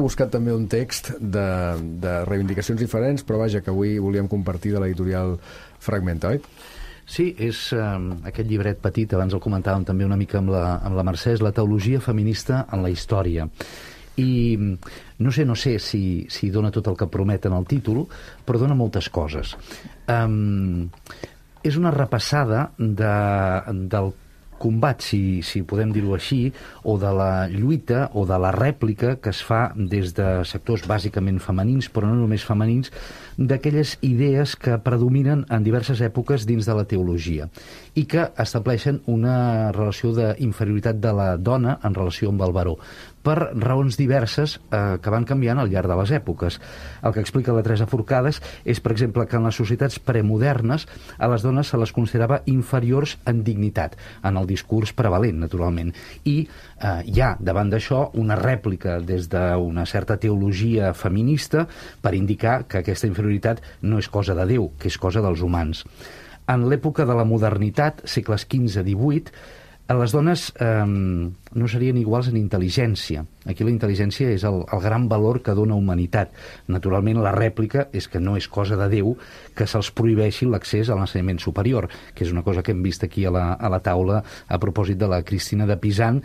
buscat també un text de reivindicacions diferents, però vaja, que avui volíem compartir de l'editorial Fragmenta, oi? Sí, és aquest llibret petit, abans el comentàvem també una mica amb la Mercè, és la teologia feminista en la història. I no sé si dona tot el que promet en el títol, però dona moltes coses. És una repassada del combat, si podem dir-ho així, o de la lluita o de la rèplica que es fa des de sectors bàsicament femenins, però no només femenins, d'aquelles idees que predominen en diverses èpoques dins de la teologia i que estableixen una relació d'inferioritat de la dona en relació amb el baró, per raons diverses que van canviant al llarg de les èpoques. El que explica la Teresa Forcades és, per exemple, que en les societats premodernes a les dones se les considerava inferiors en dignitat, en el discurs prevalent, naturalment. I hi ha, davant d'això, una rèplica des d'una certa teologia feminista per indicar que aquesta inferioritat no és cosa de Déu, que és cosa dels humans. En l'època de la modernitat, segles XV-XVIII, les dones no serien iguals en intel·ligència. Aquí la intel·ligència és el gran valor que dona humanitat. Naturalment, la rèplica és que no és cosa de Déu que se'ls prohibeixi l'accés a l'ensenyament superior, que és una cosa que hem vist aquí a la taula a propòsit de la Cristina de Pisan,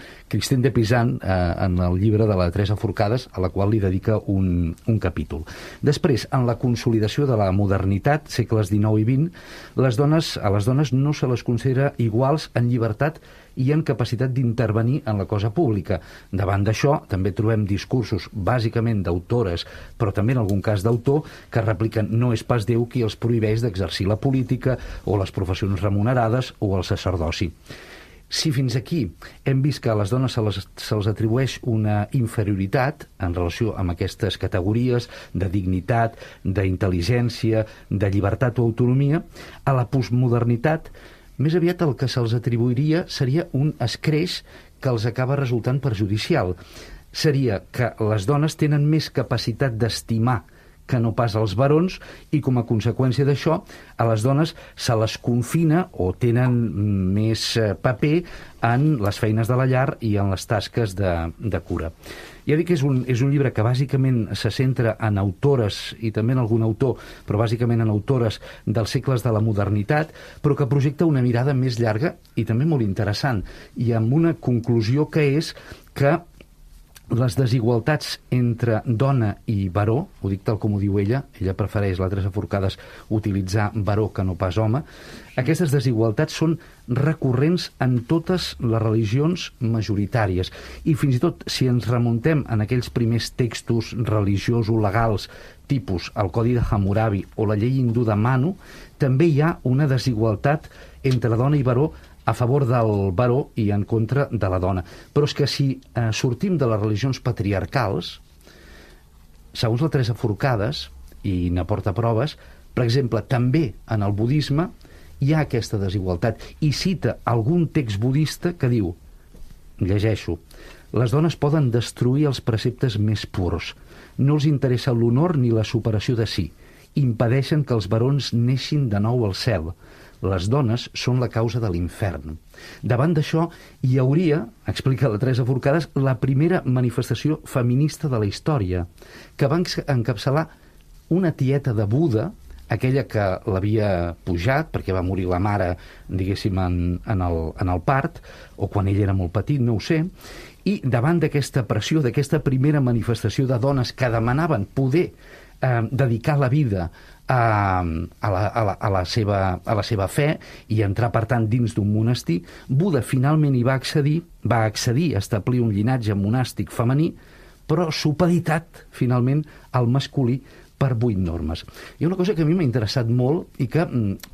en el llibre de la Teresa Forcades, a la qual li dedica un capítol. Després, en la consolidació de la modernitat, segles XIX i XX, a les dones no se les considera iguals en llibertat i en capacitat d'intervenir en la cosa pública. Davant d'això, també trobem discursos bàsicament d'autores, però també en algun cas d'autor, que repliquen no és pas Déu qui els prohibeix d'exercir la política o les professions remunerades o el sacerdoci. Si fins aquí hem vist que a les dones se'ls atribueix una inferioritat en relació amb aquestes categories de dignitat, d'intel·ligència, de llibertat o autonomia, a la postmodernitat més aviat el que se'ls atribuiria seria un escreix que els acaba resultant perjudicial. Seria que les dones tenen més capacitat d'estimar que no pas els barons i, com a conseqüència d'això, a les dones se les confina o tenen més paper en les feines de la llar i en les tasques de cura. Ja dic que és un llibre que bàsicament se centra en autores i també en algun autor, però bàsicament en autores dels segles de la modernitat, però que projecta una mirada més llarga i també molt interessant, i amb una conclusió que és que les desigualtats entre dona i baró, ho dic tal com ho diu ella prefereix, la Teresa Forcades, utilitzar baró que no pas home, aquestes desigualtats són recurrents en totes les religions majoritàries. I fins i tot, si ens remuntem en aquells primers textos religiosos legals, tipus el Codi de Hammurabi o la llei hindú de Manu, també hi ha una desigualtat entre dona i baró a favor del baró i en contra de la dona. Però és que si sortim de les religions patriarcals, segons la Teresa Forcades, i n'aporta proves, per exemple, també en el budisme hi ha aquesta desigualtat, i cita algun text budista que diu, llegeixo, les dones poden destruir els preceptes més purs, no els interessa l'honor ni la superació de si, impedeixen que els barons neixin de nou al cel, les dones són la causa de l'infern. Davant d'això hi hauria, explica la Teresa Forcades, la primera manifestació feminista de la història, que va encapçalar una tieta de Buda, aquella que l'havia pujat perquè va morir la mare, diguéssim, en el part, o quan ell era molt petit, no ho sé, i davant d'aquesta pressió, d'aquesta primera manifestació de dones que demanaven poder dedicar la vida a la seva fe i entrar, per tant, dins d'un monestir, Buda finalment hi va accedir a establir un llinatge monàstic femení, però supeditat, finalment, al masculí per 8 normes. Hi ha una cosa que a mi m'ha interessat molt i que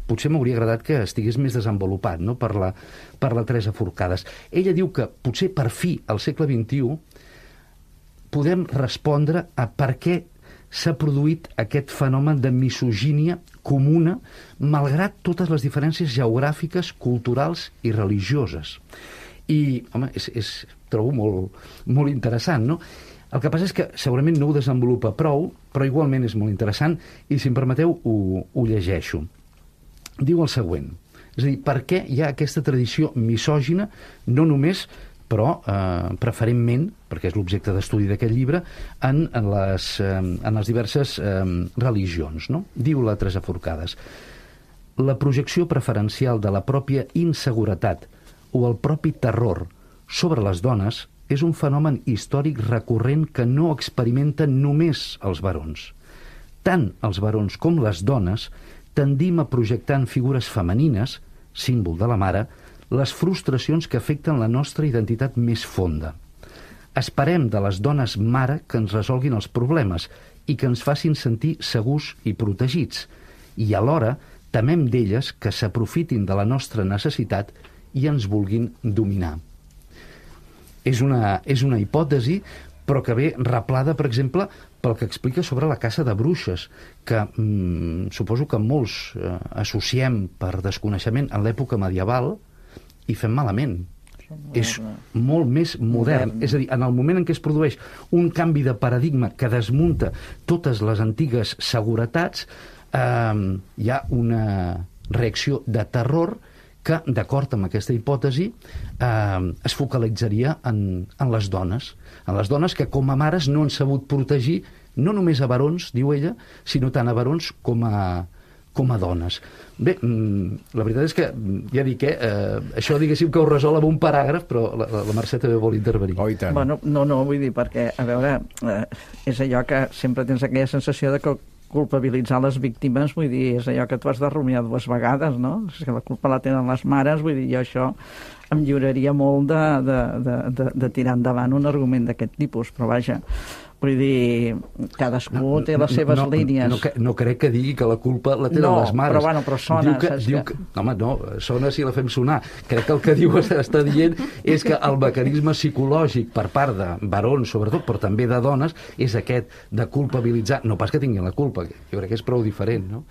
potser m'hauria agradat que estigués més desenvolupat, no?, per la Teresa Forcades. Ella diu que potser per fi, al segle XXI, podem respondre a per què s'ha produït aquest fenomen de misogínia comuna malgrat totes les diferències geogràfiques, culturals i religioses. I, home, trobo molt interessant, no? El que passa és que segurament no ho desenvolupa prou, però igualment és molt interessant i, si em permeteu, ho llegeixo. Diu el següent, és a dir, per què hi ha aquesta tradició misògina no només però preferentment, perquè és l'objecte d'estudi d'aquest llibre, en les diverses religions, no? Diu la Teresa Forcades: la projecció preferencial de la pròpia inseguretat o el propi terror sobre les dones és un fenomen històric recurrent que no experimenten només els barons. Tant els barons com les dones tendim a projectar en figures femenines, símbol de la mare, les frustracions que afecten la nostra identitat més fonda. Esperem de les dones mare que ens resolguin els problemes i que ens facin sentir segurs i protegits, i alhora temem d'elles que s'aprofitin de la nostra necessitat i ens vulguin dominar. És una hipòtesi, però que ve replada, per exemple, pel que explica sobre la caça de bruixes, que suposo que molts associem per desconeixement en l'època medieval i fem malament. És molt més modern. És a dir, en el moment en què es produeix un canvi de paradigma que desmunta totes les antigues seguretats, hi ha una reacció de terror que, d'acord amb aquesta hipòtesi, es focalitzaria en les dones. En les dones que, com a mares, no han sabut protegir no només a barons, diu ella, sinó tant a barons com a dones. Bé, la veritat és que, ja dic, això diguéssim que ho resol amb un paràgraf, però la Mercè també vol intervenir. Oh, i tant. Bueno, no, vull dir, perquè, a veure, és allò que sempre tens aquella sensació de que culpabilitzar les víctimes, vull dir, és allò que tu has de rumiar 2 vegades, no? És que la culpa la tenen les mares, vull dir, jo això em lliuraria molt de tirar endavant un argument d'aquest tipus, però vaja, vull dir, cadascú té les seves línies. No crec que digui que la culpa la tenen les mares. Però sona. Home, no, sona si la fem sonar. Crec que el que diu està dient és que el mecanisme psicològic per part de barons, sobretot, però també de dones, és aquest de culpabilitzar, no pas que tinguin la culpa, jo crec que és prou diferent, no?